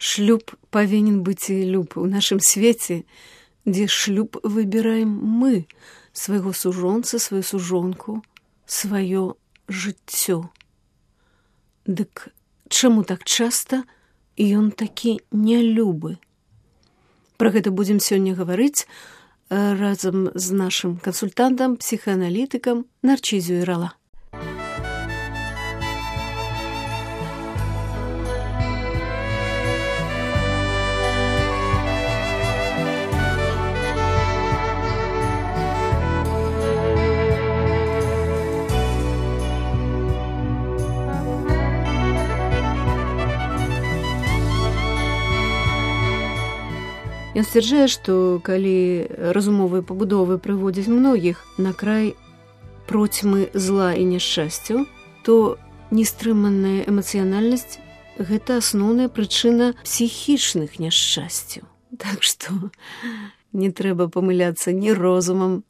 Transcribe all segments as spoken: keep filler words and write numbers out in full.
Шлюб павінен быць і люб у нашым свеце, дзе шлюб выбіраем мы, свайго сужонца, сваю сужонку, сваё жыццё. Дык чаму так часта ён такі нялюбы? Пра гэта будзем сёння гаварыць разам з нашым кансультантам, псіхааналітыкам Нарчызю Ірала. Ён сцвярджае, што калі разумовыя пабудовы прыводзяць многіх на край процьмы зла і няшчасцяў, то нестрыманая эмацыянальнасць – гэта асноўная прычына псіхічных няшчасцяў. Так што не трэба памыляцца ні розумам,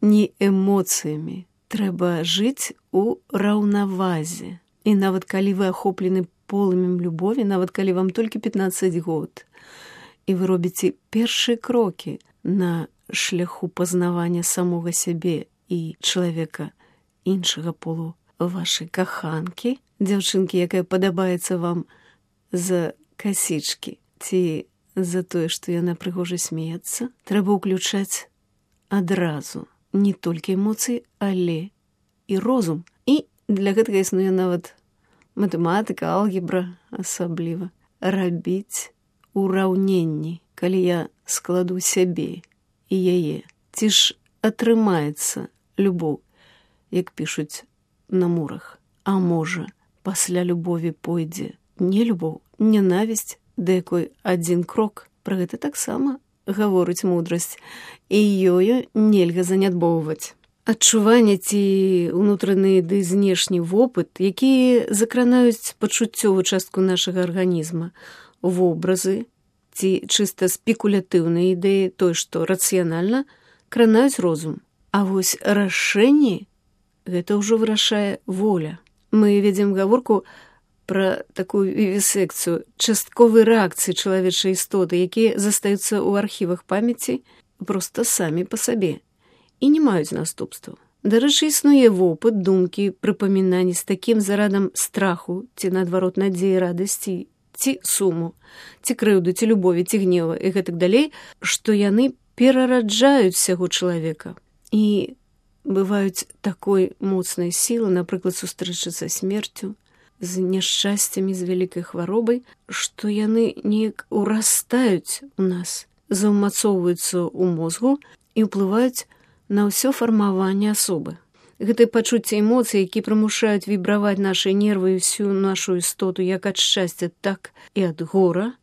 ні эмоцыямі. Трэба жыць у раўнавазе. І нават калі вы ахоплены полымем любові, нават калі вам толькі пятнаццаць год, і вы робіце першыя крокі на шляху пазнавання самога сябе і чалавека іншага полу вашай каханкі, дзяўчынкі, якая падабаецца вам за касічкі ці за тое, што яна прыгожа смеецца, трэба ўключаць адразу не толькі эмоцыі, але і розум. І для гэтага існуе нават матэматыка, алгебра асабліва. Рабіць ураўненні, калі я складу сябе і яе. Ці ж атрымаецца любоў, як пішуць на мурах? А можа, пасля любові пойдзе не любоў, ненавісць, да якой адзін крок? Пра гэта таксама гаворыць мудрасць, і ёю нельга занядбоўваць. Адчуванне ці ўнутраны ды знешні вопыт, якія закранаюць пачуццёвую частку нашага арганізма, вобразы ці чыста спекулятыўныя ідэі, тое, што рацыянальна, кранаюць розум. А вось рашэнні – гэта ўжо вырашае воля. Мы ведзем гаворку пра такую вівісекцыю, частковай рэакцыі чалавечай істоты, якія застаюцца ў архівах памяці проста самі па сабе і не маюць наступстваў. Дарэчы, існуе вопыт, думкі, прыпамінанні з такім зарадам страху ці, наадварот, надзеі, радасці, ці суму, ці крыўды, ці любові, ці гнева і гэтак далей, што яны перараджаюць усяго чалавека і бываюць такой моцнай сілы, напрыклад, сустрэчы са смерцю, з няшчасцямі, з вялікай хваробай, што яны неяк урастаюць у нас, заўмацоўваюцца ў мозгу і ўплываюць на ўсё фармаванне асобы. Гэтыя пачуцці эмоцый, які прымушаюць вібраваць нашы нервы і ўсю нашу істоту як ад шчасця, так і ад гора,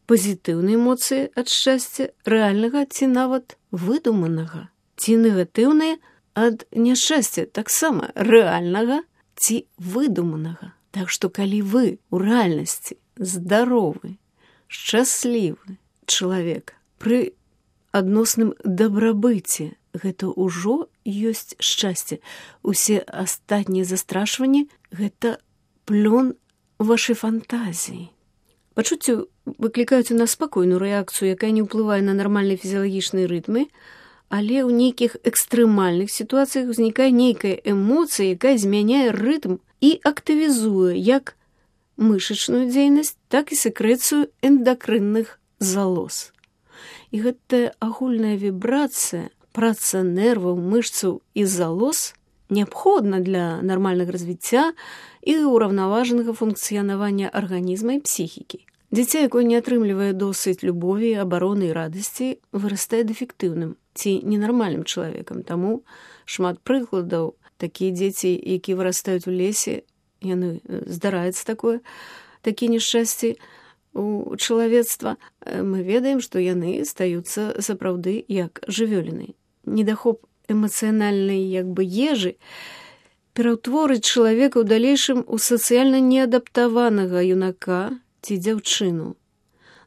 пазітыўныя эмоцыі ад шчасця, рэальнага ці нават выдуманага, ці негатыўныя ад няшчасця, таксама рэальнага ці выдуманага. Так што калі вы ў рэальнасці здаровы, шчаслівы чалавек пры адносным дабрабыце, гэта ўжо ёсць шчасце. Усе астатнія застрашванні – гэта плён вашай фантазіі. Пачуцці выклікаюць у нас спакойную рэакцыю, якая не ўплывае на нармальныя фізіялагічныя рытмы, але ў нейкіх экстрэмальных сітуацыях узнікае нейкая эмоцыя, якая змяняе рытм і актывізуе як мышачную дзейнасць, так і сэкрэцыю эндакрынных залоз. І гэтая агульная вібрацыя, праца нерваў, мышцаў і залоз неабходна для нармальнага развіцця і ўраўнаважанага функцыянавання арганізма і псіхікі. Дзіця, якое не атрымлівае досыць любові, абароны і радасці, вырастае дэфектыўным ці ненармальным чалавекам. Таму шмат прыкладаў. Такія дзеці, якія вырастаюць у лесе, яны здараецца такое, такія няшчасці у чалавецтва, мы ведаем, што яны стаюцца сапраўды як жывёліны. Недахоп эмацыянальнай як бы ежы пераўтворыць чалавека ў далейшым у сацыяльна неадаптаванага юнака ці дзяўчыну,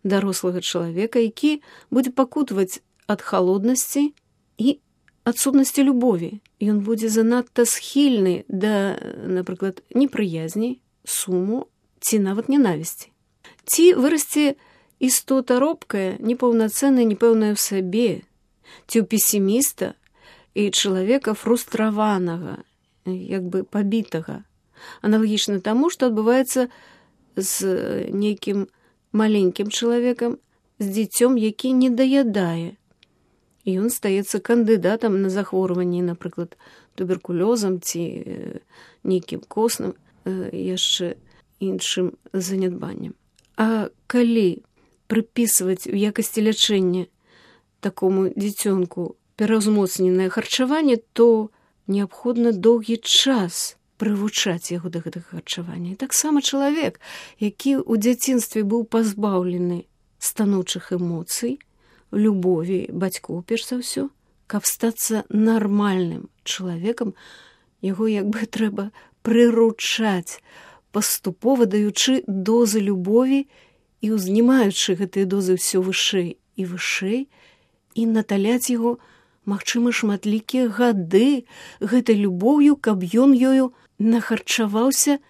дарослага чалавека, які будзе пакутаваць ад халоднасці і адсутнасці любові. Ён будзе занадта схільны да, напрыклад, непрыязні, суму ці нават ненавісці. Ці вырасце істота робкая, непаўнацэнная, непэўная ў сабе, ці ў песіміста і чалавека фрустраванага, як бы пабітага, аналагічна таму, што адбываецца з нейкім маленькім чалавекам, з дзіцём, які не даядае. І ён стаецца кандыдатам на захворванне, напрыклад, туберкулёзам ці нейкім косным, яшчэ іншым занядбаннем. А калі прыпісваць у якасці лячэння такому дзіцёнку пераўзмоцненае харчаванне, то неабходна доўгі час прывучаць яго да гэтага харчавання. І таксама чалавек, які ў дзяцінстве быў пазбаўлены станоўчых эмоцый, любові бацькоў, перш за ўсё, каб стацца нармальным чалавекам, яго як бы трэба прыручаць, паступова даючы дозы любові і узнімаючы гэтыя дозы ўсё вышэй і вышэй, і наталяць яго, магчыма, шматлікія гады гэтай любоўю, каб ён ёю нахарчаваўся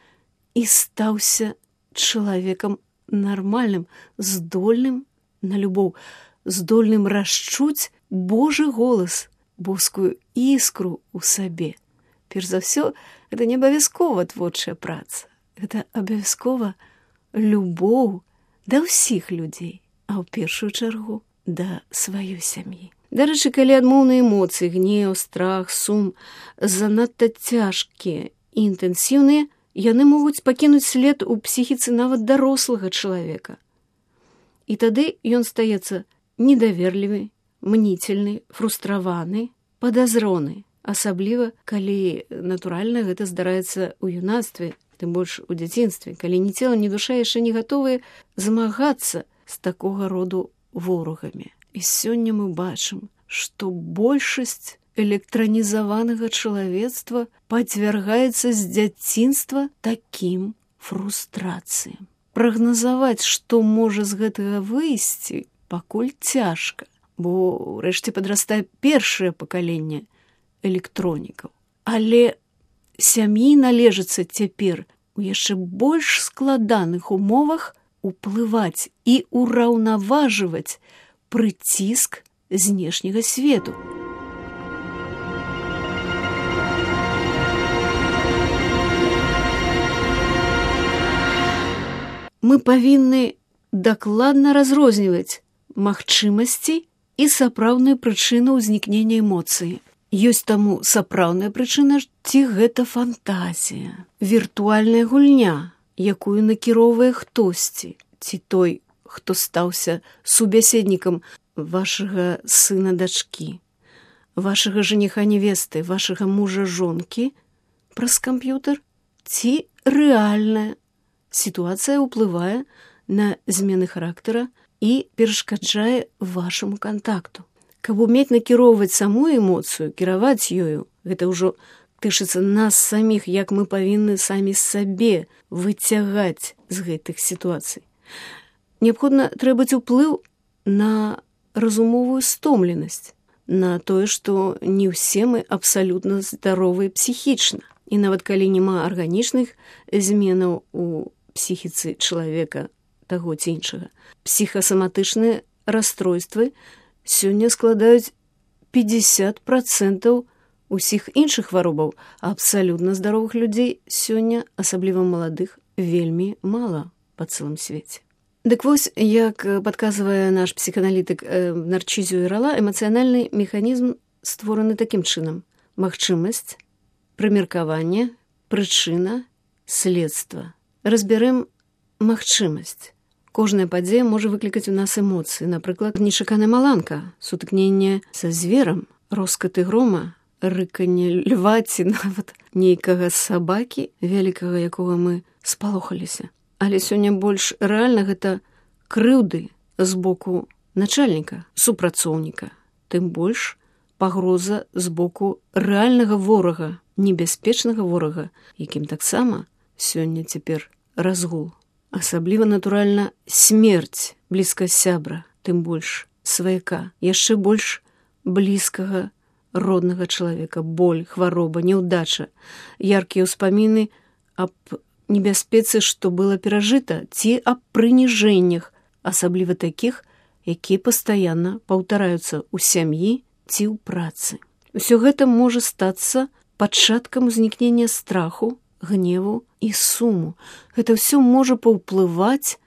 і стаўся чалавекам нармальным, здольным на любоў, здольным расчуць Божы голас, боскую іскру ў сабе. Перш за ўсё, гэта не абавязкова творчая праца. Гэта абавязкова любоў да ўсіх людзей, а ў першую чаргу да сваёй сям'і. Дарэчы, калі адмоўныя эмоцыі, гнеў, страх, сум занадта цяжкія і інтэнсіўныя, яны могуць пакінуць след у псіхіцы нават дарослага чалавека. І тады ён стаецца недаверлівы, мнительны, фрустраваны, падазроны, асабліва, калі, натуральна, гэта здараецца ў юнацтве, тым больш у дзяцінстве, калі ні цела, ні душа яшчэ не гатовыя змагацца з такога роду ворагамі. І сёння мы бачым, што большасць электранізаванага чалавецтва падвяргаецца з дзяцінства такім фрустрацыям. Прагназаваць, што можа з гэтага выйсці, пакуль цяжка, бо ўрэшце падрастае першае пакаленне электронікаў. Але сям'і належыцца цяпер у яшчэ больш складаных умовах уплываць і ураўнаважваць прыціск знешняга свету. Мы павінны дакладна разрозніваць магчымасці і сапраўдную прычыну ўзнікнення эмоцыі. Ёсць таму сапраўдная прычына, ці гэта фантазія, віртуальная гульня, якую накіроўвае хтосьці, ці той, хто стаўся субяседнікам вашага сына-дачкі, вашага жаніха-невесты, вашага мужа-жонкі праз камп'ютар, ці рэальная сітуацыя ўплывае на змены характара і перашкаджае вашаму кантакту. Каб умець накіроўваць саму эмоцыю, кіраваць ёю, гэта ўжо тычыцца нас саміх, як мы павінны самі сабе выцягаць з гэтых сітуацый. Неабходна требаць уплыў на разумовую стомленасць, на тое, што не ўсе мы абсалютна здаровыя псіхічна. І нават калі няма арганічных зменаў у псіхіцы чалавека таго ці іншага, псіхасаматычныя расстройствы сёння складаюць пятьдесят процентаў усіх іншых хваробаў, а абсалютна здаровых людзей сёння, асабліва маладых, вельмі мала па цэлым свеце. Дык вось, як падказвае наш псіханалітык Нарчызіо Ірала, эмацыянальны механізм створаны такім чынам: магчымасць, прымеркаванне, прычына, следства. Разбярем магчымасць. Кожная падзея можа выклікаць у нас эмоцыі, напрыклад, нечаканая маланка, сутыкненне са зверам, роскаты грома, рыканне льва ці нават нейкага сабакі, вялікага якога мы спалохаліся. Але сёння больш рэальна гэта крыўды з боку начальніка, супрацоўніка, тым больш пагроза з боку рэальнага ворага, небяспечнага ворага, якім таксама сёння цяпер разгул. Асабліва, натуральна, смерць блізка сябра, тым больш сваяка, яшчэ больш блізкага роднага чалавека, боль, хвароба, няўдача, яркія ўспаміны аб небяспецы, што было перажыта, ці аб прыніжэннях, асабліва такіх, якія пастаянна паўтараюцца ў сям'і ці ў працы. Усё гэта можа стацца пачаткам узнікнення страху, гневу і суму. Гэта ўсё можа паўплываць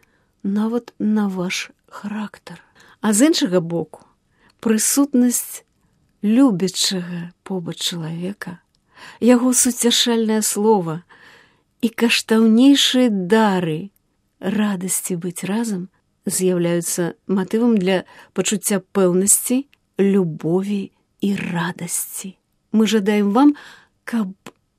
нават на ваш характар. А з іншага боку, прысутнасць любячага побач чалавека, яго суцяшальнае слова і каштаўнейшыя дары радасці быць разам з'яўляюцца матывам для пачуцця пэўнасці, любові і радасці. Мы жадаем вам, каб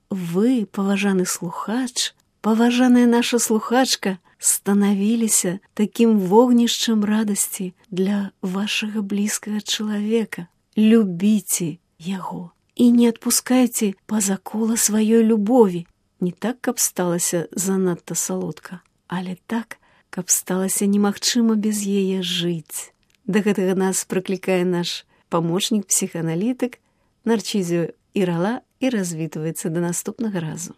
вы, паважаны слухач, паважаная наша слухачка, станавіліся такім вогнішчам радасці для вашага блізкага чалавека. Любіце яго і не адпускайце па-за кола сваёй любові. Не так, каб сталася занадта салодка, але так, каб сталася немагчыма без яе жыць. Да гэтага нас прыклікае наш памочнік-псіханалітык Нарцізіо Ірала і развітваецца да наступнага разу.